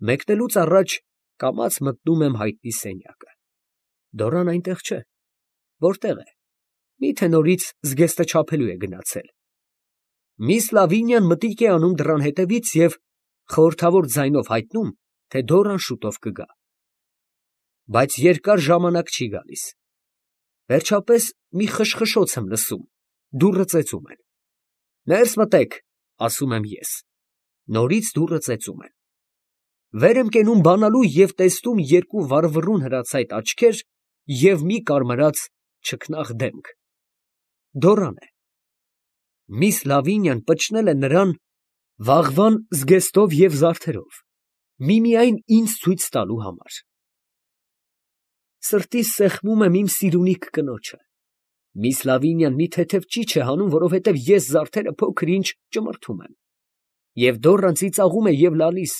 Մեկնելուց առաջ կամաց մտնում եմ հայտնի սենյակը։ Դորան այնտեղ չէ։ Որտեղ է։ Միթե նորից զգեստը չափելու է գնացել։ Միս Լավինյան մտիկ է անում դռան հետևից և խորհրդավոր ձայնով հայտնում, թե Դորան շուտով կգա։ Բայց երկար ժամանակ չի գալիս։ Վերջապես մի խշխշոց եմ լսում, դուռը ծեծում են։ Ներս մտեք, ասում եմ ես։ Նորից դուռը ծեծում են։ Վեր եմ կենում բանալու և տեսնում երկու վառվռուն հրացայտ աչքեր և մի կարմրած չքնաղ դեմք։ Դորան է։ Միս Լավինյան պճնել է նրան վաղվան զգեստով և զարդերով, միմիայն ինձ ցույց տալու համար։ Սրտիս սեղմում եմ իմ սիրունիք կնոջը։ Միս Լավինյան մի թեթև ճիչ է հանում, որովհետև ես զարդերը փոքր-ինչ ճմրթում եմ։ Եվ Դորան ծիծաղում է և լալիս,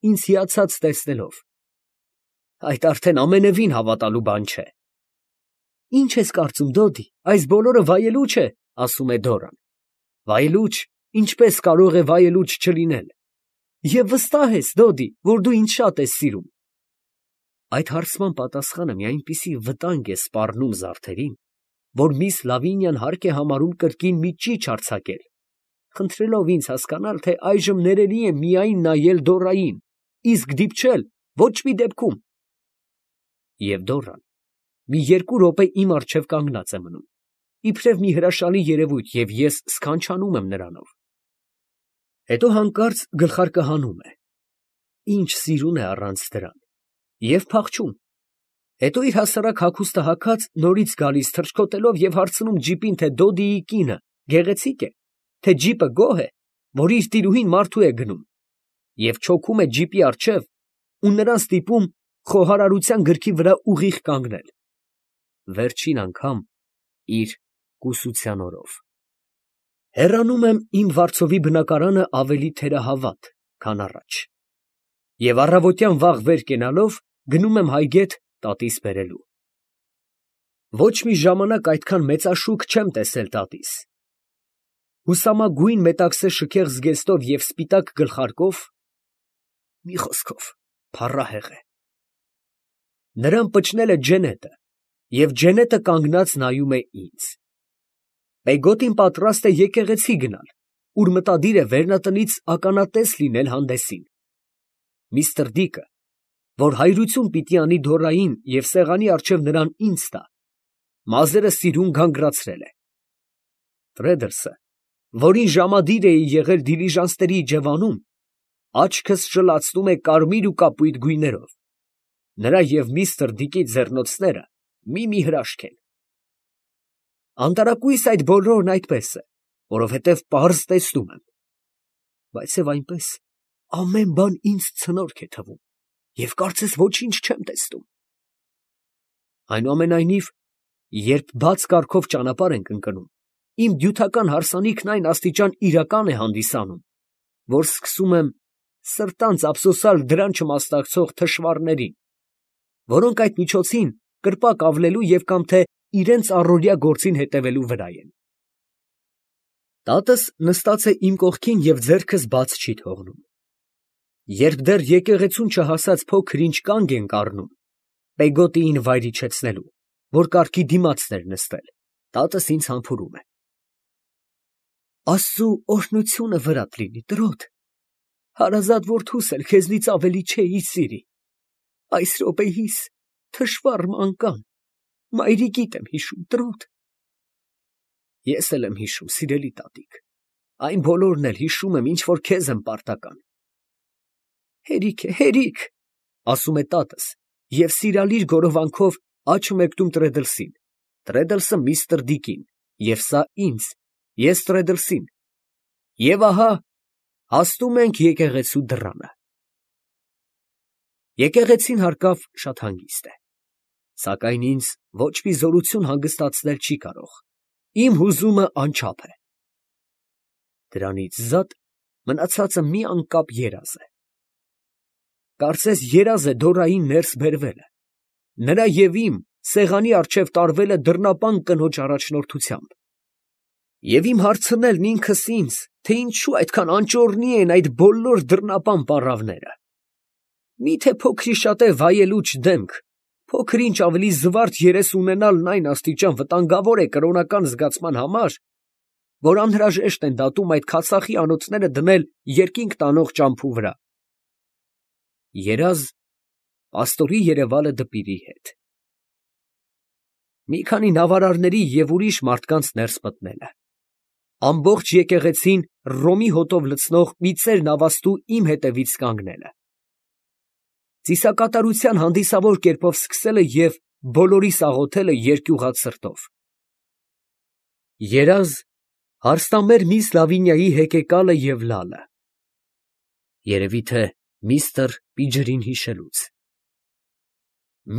ինձ հիացած տեսնելով։ Այդ արդեն ամենևին հավատալու բան չէ։ Ի՞նչ ես կարծում, Դոդի, այս բոլորը վայելուչ է, ասում է Դորան։ Վայելուչ, ինչպես կարող է վայելուչ չլինել։ Եվ վստահ ես, Դոդի, որ դու ինձ շատ ես սիրում։ Այդ հարցման պատասխանը մի այնպիսի վտանգ է սպառնում զարդերին, որ միս Լավինյան հարկ է համարում կրկին մի ճիչ արձակել, խնդրելով ինձ հասկանալ, թե այժմ ներելի է միայն նայել Դորային, իսկ դիպչել ոչ մի դեպքում։ Եվ Դորան մի 2 րոպե իմ առջև կանգնած է մնում, իբրև մի հրաշալի երևույթ, և ես սքանչանում եմ նրանով։ Հետո հանկարծ գլխարկը հանում է։ Ինչ սիրուն է առանց դրան։ Եվ փախչում։ Հետո իր հասարակ հագուստը հագած նորից գալիս թռչկոտելով և հարցնում ջիպին, թե Դոդիի կինը գեղեցիկ է, թե ջիպը գոհ է, որ իր տիրուհին մարդու է գնում, և չոքում է ջիպի առջև ու նրան ստիպում խոհարարության գրքի վրա ուղիղ կանգնել։ Վերջին անգամ իր կուսության օրով։ Հեռանում եմ իմ վարձովի բնակարանը ավելի թերահավատ, քան առաջ։ Եվ առավոտյան վաղ վեր կենալով գնում եմ հայգետ տատիս բերելու։ Ոչ մի ժամանակ այդքան մեծաշուք չեմ տեսել տատիս։ Հուսամագույն մետաքսե շքեղ զգեստով և սպիտակ գլխարկով, մի խոսքով, փառահեղ է։ Նրան պճնել է Ջենետը, և Ջենետը կանգնած նայում է ինձ։ Պեգոտին պատրաստ է եկեղեցի գնալ, ուր մտադիր է վերնատնից ականատես լինել հանդեսին։ Միստր Դիկը, որ հայրություն պիտի անի Դորային և սեղանի առջև նրան ինձ տա, մազերը սիրուն գանգրացրել է։ Ֆրեդերսը, որին ժամադիր էի եղել դիլիժանսների իջևանում, աչքս շլացնում է կարմիր ու կապույտ գույներով։ Նրա և միստր Դիկի ձեռնոցները մի հրաշք են։ Անտարակույս այդ բոլորն այդպես է, որովհետև պարզ տեսնում եմ։ Բայց և այնպես ամեն բան ինձ ցնորք է թվում, և կարծես ոչինչ չեմ տեսնում։ Այնուամենայնիվ, երբ բաց կառքով ճանապարհ ենք ընկնում, իմ դյութական հարսանիքն այն աստիճան իրական է հանդիսանում, որ սկսում եմ սրտանց ափսոսալ դրան չմասնակցող թշվառներին, որոնք այդ միջոցին կրպակ ավլելու և կամ թե իրենց առօրյա գործին հետևելու վրա են։ Տատս նստած է իմ կողքին և ձեռքս բաց չի թողնում։ Երբ դեռ եկեղեցուն չհասած փոքր-ինչ կանգ ենք առնում, Պեգոտիին վայր իջեցնելու, որ կառքի դիմացն էր նստել, տատս ինձ համբուրում է. Աստծու օրհնությունը վրադ լինի, տրոտ, հարազատ որդուս էլ քեզնից ավելի չէի սիրի, այս րոպեիս թշվառ մանկան, մայրիկիդ եմ հիշում, տրոտ։ Ես էլ եմ հիշում, սիրելի տատիկ, այն բոլորն էլ հիշում եմ, ինչ որ քեզ եմ պարտական։ Հերիք է, հերիք, ասում է տատս, և սիրալիր գորովանքով աջ մեկնում Տրեդլսին, Տրեդլսը միստր Դիկին, և սա ինձ, ես Տրեդլսին, և ահա հասնում ենք եկեղեցու դռանը։ Եկեղեցին հարկավ շատ հանգիստ է, սակայն ինձ ոչ մի զորություն հանգստացնել չի կարող, իմ հուզումը անչափ է։ Դրանից զատ մնացածը մի անկապ երազ է։ Կարծես երազ է Դորային ներս բերվելը, նրա և իմ սեղանի առջև տարվելը դռնապան կնոջ առաջնորդությամբ, և իմ հարցնելն ինքս ինձ, թե ինչու այդքան անճոռնի են այդ բոլոր դռնապան պառավները։ Միթե փոքրի շատ է վայելուչ դեմք, փոքր ինչ ավելի զվարթ երես ունենալն այն աստիճան վտանգավոր է կրոնական զգացման համար, որ անհրաժեշտ են դատում այդ քացախի անոթները դնել երկինք տանող ճամփու վրա։ Երազ պաստորի երևալը դպիրի հետ։ Մի քանի նավարարների և ուրիշ մարդկանց ներս մտնելը, ամբողջ եկեղեցին ռոմի հոտով լցնող մի ծեր նավաստու իմ հետևից կանգնելը, ծիսակատարության հանդիսավոր կերպով սկսելը և բոլորիս աղոթելը երկյուղած սրտով։ Երազ հարստամեր միս Լավինիայի հեկեկալը և լալը, երևի թե միստր Պիջրին հիշելուց,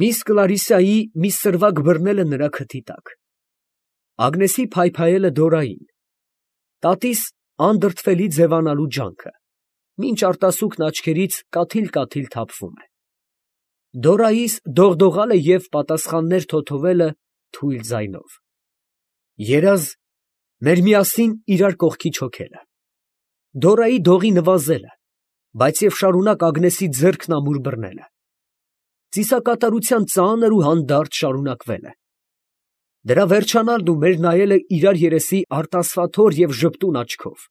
միս Կլարիսայի մի սրվակ բռնելը նրա քթի տակ, Ագնեսի փայփայելը Դորային, տատիս անդրդվելի ձևանալու ջանքը, մինչ արտասուքն աչքերից կաթիլ թափվում է, Դորայիս դողդողալը և պատասխաններ թոթովելը թույլ ձայնով, երազ մեր միասին իրար կողքի չոքելը, Դորայի դողի նվազելը, բայց և շարունակ Ագնեսի ձեռքն ամուր բռնելը, ծիսակատարության ծանր ու հանդարտ շարունակվելը, դրա վերջանալն ու մեր նայելը իրար երեսի արտասվաթոր և ժպտուն աչքով,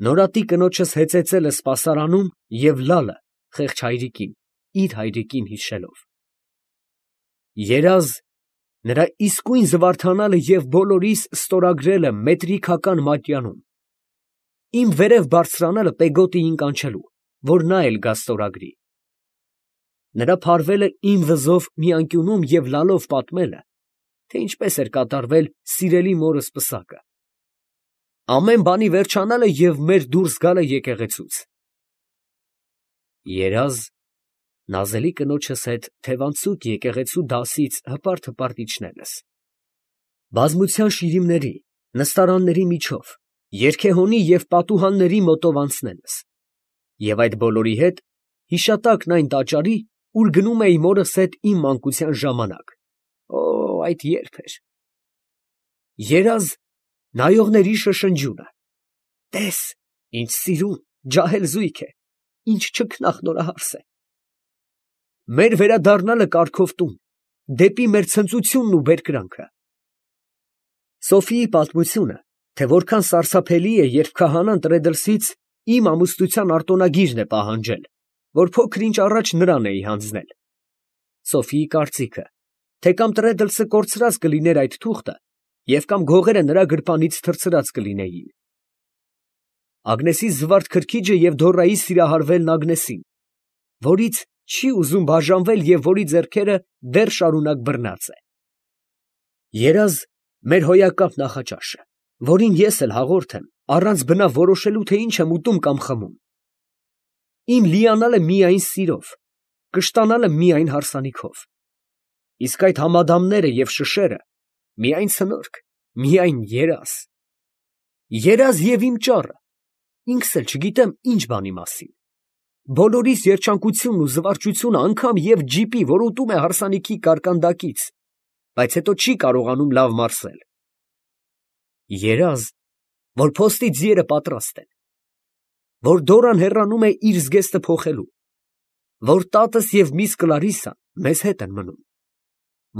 նորատի կնոջս հեծեծելը սպասարանում և լալը խեղճ հայրիկին, իր հայրիկին հիշելով, երազ նրա իսկույն զվարթանալը և բոլորիս ստորագրելը մետրիքական մատյանում, իմ վերև բարձրանալը Պեգոտիին կանչելու, որ նա էլ գա ստորագրի, նրա փարվելը իմ վզով մի անկյունում և լալով պատմելը, թե ինչպես էր կատարվել սիրելի մորս պսակը, ամեն բանի վերջանալը և մեր դուրս գալը եկեղեցուց, երազ նազելի կնոջս հետ թևանցուկ եկեղեցու դասից հպարտ իջնելս, բազմության շիրիմների, նստարանների միջով, երգեհոնի և պատուհանների մոտով անցնելս, և այդ բոլորի հետ հիշատակն այն տաճարի, ուր գնում էի մորս հետ իմ մանկության ժամանակ, այդ ե՞րբ էր, երազ նայողների շշնջյունը, տես, ինչ սիրուն, ջահել զույգ է, ինչ չքնաղ նորահարս է, մեր վերադառնալը կառքով տուն, դեպի մեր ցնծությունն ու բերկրանքը, Սոֆիի պատմությունը, թե որքան սարսափելի է, երբ քահանան տրեդլսից իմ ամուսնության արտոնագիրն է պահանջել, որ փոքր ինչ առաջ նրան էի հանձնել, Սոֆիի կարծիքը, թե կամ տրեդլսը կորցրած կլիներ այդ թուղթը, և կամ գողերը նրա գրպանից թռցրած կլինեին, Ագնեսի զվարթ քրքիջը և Դորայի սիրահարվելն Ագնեսին, որից չի ուզում բաժանվել և որի ձեռքերը դեռ շարունակ բռնած է, երազ մեր հոյակապ նախաճաշը, որին ես էլ հաղորդ եմ, առանց բնավ որոշելու, թե ինչ եմ ուտում կամ խմում, իմ լիանալը միայն սիրով, կշտանալը միայն հարսանիքով, իսկ այդ համադամները և շշերը միայն ցնորք, միայն երազ և իմ ճառը, ինքս էլ չգիտեմ ինչ բանի մասին, բոլորիս երջանկությունն ու զվարճությունը անգամ և ջիպի, որ ուտում է հարսանիքի կարկանդակից, բայց հետո չի կարողանում լավ մարսել, երազ, որ փոստի ձիերը պատրաստ են, որ Դորան հեռանում է իր զգեստը փոխելու, որ տատս և միս Կլարիսան մեզ հետ են մնում,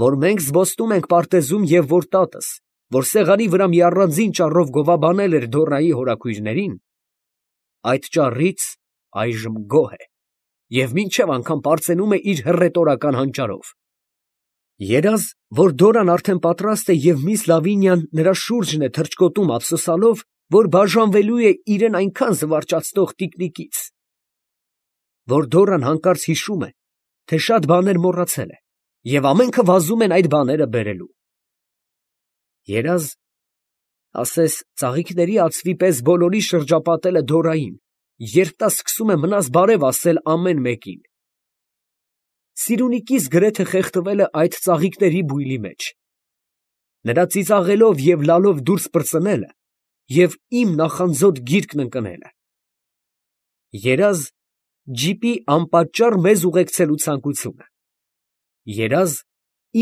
որ մենք զբոսնում ենք պարտեզում և որ տատս, որ սեղանի վրա մի առանձին ճառով գովաբանել էր Դորայի հորաքույրներին, այդ ճառից այժմ գոհ է և մինչև անգամ պարծենում է իր հռետորական հանճարով, երազ, որ Դորան արդեն պատրաստ է և միս Լավինիան նրա շուրջն է թռչկոտում ափսոսալով, որ բաժանվելու է իրեն այնքան զվարճացնող տիկնիկից, որ Դորան հանկարծ հիշում է, թե շատ բաներ մոռացել է և ամենքը վազում են այդ բաները բերելու, երազ, ասես ծաղիկների ածվի պես բոլորի շրջապատելը Դորային, երբ նա սկսում է մնաս բարև ասել ամեն մեկին, սիրունիկիս գրեթե խեղդվելը այդ ծաղիկների բույլի մեջ, նրա ծիծաղելով և լալով դուրս պրծնելը և իմ նախանձոտ գիրկն ընկնելը, երազ ջիպի անպատճառ մեզ ուղեկցելու ցանկությունը, երազ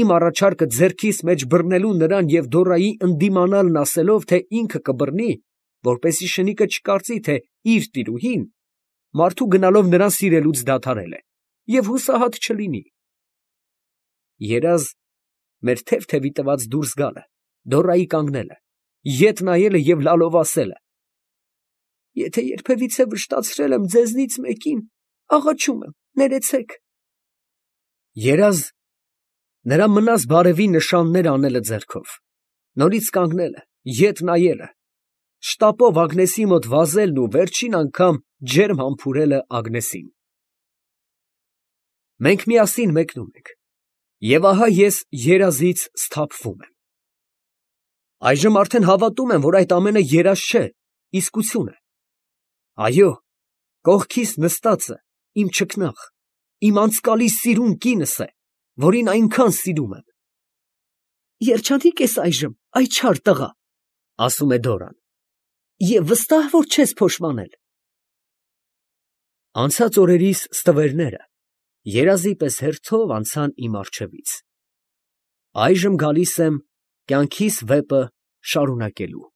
իմ առաջարկը ձեռքիս մեջ բռնելու նրան և Դորայի ընդդիմանալն ասելով, թե ինքը կբռնի, որպեսզի շնիկը չկարծի, թե իր տիրուհին մարդու գնալով նրան սիրելուց դադարել է, և հուսահատ չլինի։ Երազ մեր թև֊թևի տված դուրս գալը, Դորայի կանգնելը, ետ նայելը և լալով ասելը. «Եթե երբևիցե վշտացրել եմ ձեզնից մեկին, աղաչում եմ, ներեցեք»։ Երազ նրա մնաս բարևի նշաններ անելը ձեռքով, նորից կանգնելը, ետ նայելը, շտապով Ագնեսի մոտ վազելն ու վերջին անգամ ջերմ համբուրելը Ագնեսին։ Մենք միասին մեկնում ենք, և ահա ես երազից սթափվում եմ։ Այժմ արդեն հավատում եմ, որ այդ ամենը երազ չէ, իսկություն է։ Այո, կողքիս նստածը իմ չքնաղ, իմ անցկալի սիրուն կինս է, որին այնքան սիրում եմ։ «Երջանիկ ես այժմ, այ չար տղա», ֊ ասում է Դորան, «և վստահ, որ չես փոշմանել»։ Անցած օրերիս ստվերները երազի պես հերթով անցան իմ առջևից։ Այժմ գալիս եմ կյանքիս վեպը շարունակելու։